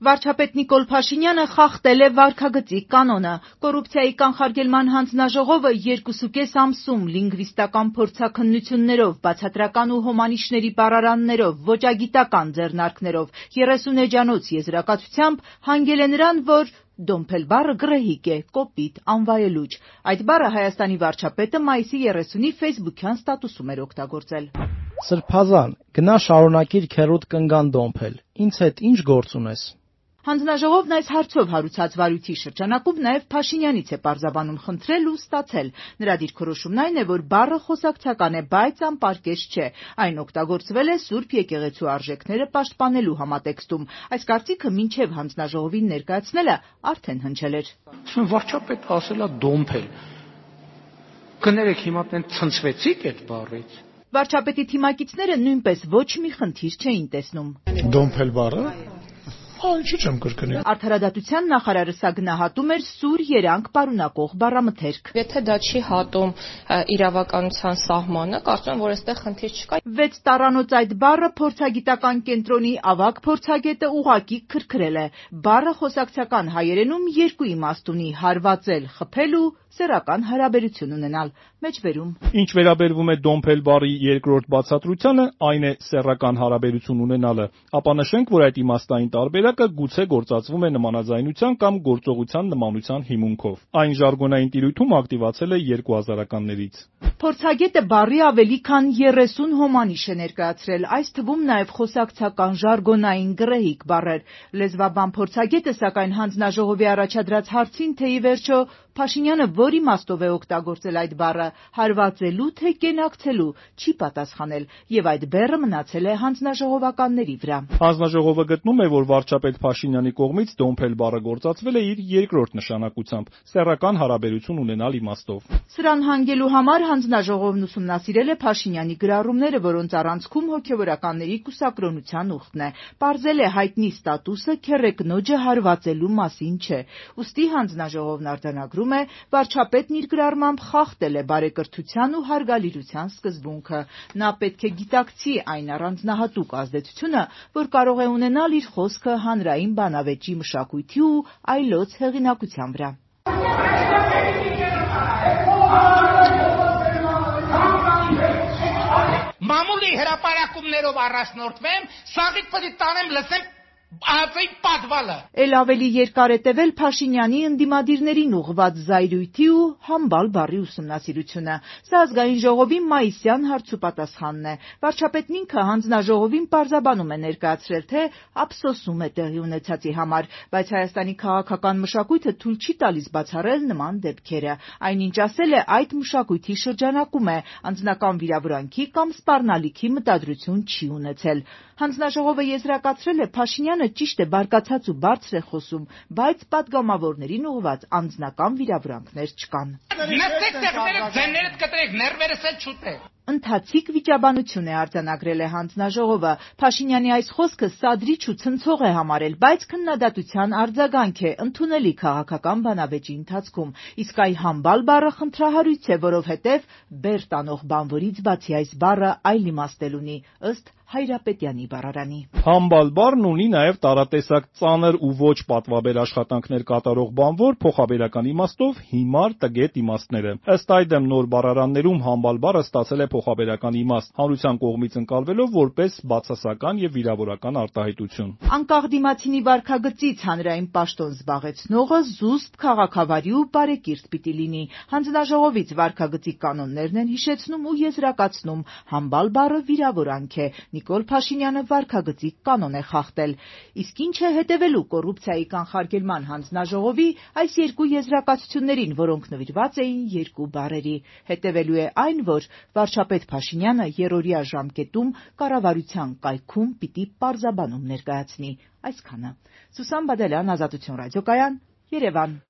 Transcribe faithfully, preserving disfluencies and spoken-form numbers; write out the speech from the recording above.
Վարչապետ Նիկոլ Փաշինյանը խախտել է վարքագծի կանոնը։ Կոռուպցիայի կանխարգելման հանձնաժողովը երկուսուկես ամսում լինգվիստական փորձաքննություններով, բացատրական ու հոմանիշների բառարաններով, ոճագիտական ձեռնարկներով, երեսուն էջանոց եզրակացությամբ հանգել է նրան, որ «դոմփել» բառը գռեհիկ է, կոպիտ, անվայելուչ։ Այդ բառը Հայաստանի վարչապետը մայիսի երեսունի ֆեյսբուքյան ստատուսում էր օգտագործել։ Սրբազան, գնա շարունակիր քեռուդ կնգան դոմփել, ինձ հետ ինչ գործ ունես։ Հանձնաժողովն այս հարցով հարուցած վարույթի շրջանակում նաև Փաշինյանից է պարզաբանում խնդրել ու ստացել։ Նրա դիրքորոշումն այն է, որ բառը խոսակցական է, բայց անպարկեշտ չէ։ Այն օգտագործվել է Սուրբ եկեղեցու արժեքները պաշտպանելու համատեքստում։ Այս կարծիքը մինչև հանձնաժողովին ներկայացնելը արդեն հնչել էր։ Վարչապետը ասել է դոմփել։ Կներեք, հիմա տեն ցնցվեցիք այդ բառից։ Վարչապետի թիմակիցները նույնպես ոչ մի խնդիր չէին տեսնում։ Դոմփել բառը Հա, ինչի՞ չեմ կրկնի։ Արդարադատության նախարարը սա գնահատում էր սուր երանգ պարունակող բառամթերք։ Եթե դա չի հատում իրավականության սահմանը, կարծում եմ, որ այստեղ խնդիր չկա։ Վեց տառանոց այդ բառը փորձագիտական կենտրոնի ավագ փորձագետը ուղղակի քրքրել է։ Բառը խոսակցական հայերենում երկու իմաստ ունի՝ հարվածել, խփել ու սեռական հարաբերություն ունենալ։ Մեջբերում։ Ինչ վերաբերվում է դոմփել բառի երկրորդ բացատրությանը, այն է սեռական հարաբերություն ունենալը, ապա նշենք, որ այդ իմաստային տարբերակը գուցե գործածվում է նմանաձայնության կամ գործողության նմանության հիմունքով։ Այն ժարգոնային տիրույթում ակտիվացել է երկու հազարականներից։ Փորձագետը բառի ավելի քան երեսուն հոմանիշ է ներկայացրել, այս թվում նաև խոսակցական ժարգոնային գռեհիկ բառեր։ Լեզվաբան փորձագետը, սակայն հանձնաժողովի առաջադրած հարցին, թե ի վերջո Փաշինյանը որ իմաստով է օգտագործել այդ բառը՝ հարվածելու թե կենակցելու, չի պատասխանել, եւ այդ բեռը մնացել է հանձնաժողովականների վրա։ Հանձնաժողովը գտնում է, որ վարչապետ Փաշինյանի կողմից դոմփել բառը գործածվել է իր երկրորդ նշանակությամբ՝ սեռական հարաբերություն ունենալ իմաստով։ Սրան հանգելու համար հանձնաժողովն ուսումնասիրել է Փաշինյանի գրառումները, որոնց առանցքում հոգևորականների կուսակրոնության ուխտն է։ Պարզել է հայտնի ստատուսը քեռեկնոջը հարվածելու մասին չէ։ Ուստի հանձնաժողովն արձանագրում է, վարչապետն իր գրառմամբ խախտել է բարեկրթության ու հարգալիրության սկզբունքը։ Նա պետք է գիտակցի այն առանձնահատուկ ազդեցությունը, որ կարող է ունենալ իր խոսքը հանրային բանավեճի մշակույթի ու այլոց հեղինակության վրա։ Մամուլի հրապարակումներով առաջնորդվեմ, սաղիթ պտի տանեմ լսեմ ածեի պատվալը։ Էլ ավելի երկար է տևել Փաշինյանի ընդդիմադիրներին ուղղված զայրույթի ու համբալ բառի ուսումնասիրությունը։ Սա ազգային ժողովի մայիսյան հարցուպատասխանն է։ Վարչապետն ինքը հանձնաժողովին պարզաբանում է ներկայացրել, թե ափսոսում է տեղի ունեցածի համար, բայց Հայաստանի քաղաքական մշակույթը թույլ չի տալիս բացառել նման դեպքերը։ Այնինչ ասել է, այդ մշակույթի շրջանակում է, անձնական վիրավորանքի կամ սպառնալիքի մտադրություն չի ունեցել։ Հանձնաժողովը եզրակացրել է, Փաշինյանը ճիշտ է, բարկացած ու բարձր է խոսում, բայց պատգամավորներին ուղղված անձնական վիրավորանքներ չկան։ Նստեք տեղները, ձեններդ կտրեք, ներվերս էլ չուտեք։ Ընթացիկ վիճաբանություն է արձանագրել է հանձնաժողովը։ Փաշինյանի այս խոսքը սադրիչ ու ցնցող է համարել, բայց քննադատության արձագանք է ընդունելի քաղաքական բանավեճի ընթացքում։ Իսկ այ համբալ բառը խնդրահարույց է, որովհետև բեռ տանող բանվորից բացի այս բառը այլ իմաստ ունի, ըստ Հայրապետյանի բառարանի։ Համբալ բառն ունի նաև տարատեսակ ծանր ու ոչ պատվաբեր աշխատանքներ կատարող բանվոր, փոխաբերական իմաստով հիմար, տգետ իմաստները։ Ըստ այդմ նոր բառարաններում համբալ բառը ստացել է փոխաբերական իմաստ, հանրության կողմից ընկալվելով որպես բացասական եւ վիրավորական արտահայտություն։ Անկախ դիմացինի վարքագծից հանրային պաշտոն զբաղեցնողը զուսպ, քաղաքավարի ու բարեկիրթ պիտի լինի։ Հանձնաժողովից վարքագծի կանոններն են հիշեցնում ու եզրակացնում, համբալ բառը վիրավորանք է։ Նիկոլ Փաշինյանը վարքագծի կանոն է խախտել։ Իսկ ինչ է հետևելու կոռուպցիայի կանխարգելման հանձնաժողովի այս երկու եզրակացություններին, որոնք նվիրված էին երկու բառերի։ Հետևելու է այն, որ վարչապետ Փաշինյանը երրորդյա ժամկետում կառավարության կայքում պիտի պարզաբանում ներկայացնի։ Այսքանը։ Սուսան Բադալյան, Ազատություն ռադիոկայան, Երևան։